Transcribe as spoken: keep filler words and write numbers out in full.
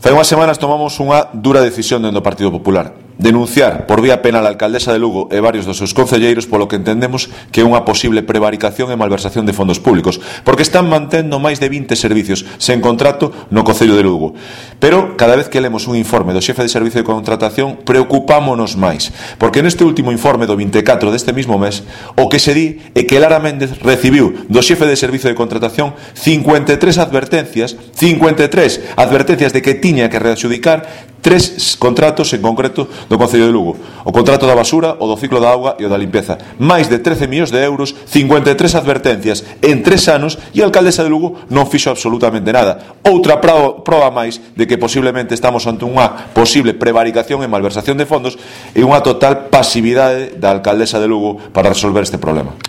Hai unhas semanas tomamos unha dura decisión dentro do Partido Popular: denunciar por vía penal a alcaldesa de Lugo e varios dos seus concelleiros polo que entendemos que é unha posible prevaricación e malversación de fondos públicos, porque están mantendo máis de vinte servicios sen contrato no Concello de Lugo. Pero cada vez que lemos un informe do xefe de servicio de contratación preocupámonos máis, porque neste último informe do vinte e catro deste mismo mes o que se di é que Lara Méndez recibiu do xefe de servicio de contratación cincuenta e tres advertencias, cincuenta e tres advertencias de que tiña que readxudicar tres contratos en concreto do Concello de Lugo: o contrato da basura, o do ciclo da auga e o da limpeza. Máis de trece millóns de euros, cincuenta e tres advertencias en tres anos, e a alcaldesa de Lugo non fixo absolutamente nada. Outra proba máis de que posiblemente estamos ante unha posible prevaricación e malversación de fondos e unha total pasividade da alcaldesa de Lugo para resolver este problema.